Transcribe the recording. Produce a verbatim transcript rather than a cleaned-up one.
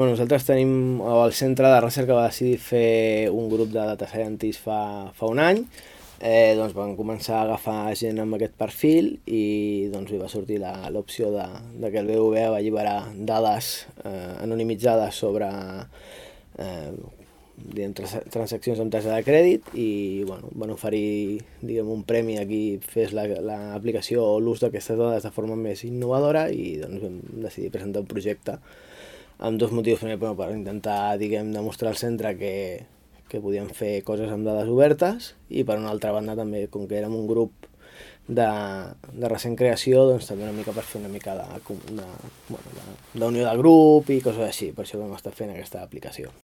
Bueno, nosaltres tenim, el centre de recerca va decidir fer un grup de data scientists fa, fa un any. Eh, doncs van començar a agafar gent amb aquest perfil i doncs li va sortir la- l'opció de, de que el B B V A va alliberar dades eh, anonimitzades sobre eh, diguem, trans transaccions amb targeta de crèdit i bueno, van oferir diguem, un premi a qui fes l'aplicació la, o l'ús d'aquestes dades de forma més innovadora i doncs vam decidir presentar un projecte amb dos motius. Primer, bueno, per intentar diguem, demostrar al centre que, que podíem fer coses amb dades obertes i per una altra banda també, com que érem un grup de, de recent creació, doncs també una mica per fer una mica de, de, bueno, de, d'unió de grup i coses així, per això vam estar fent aquesta aplicació.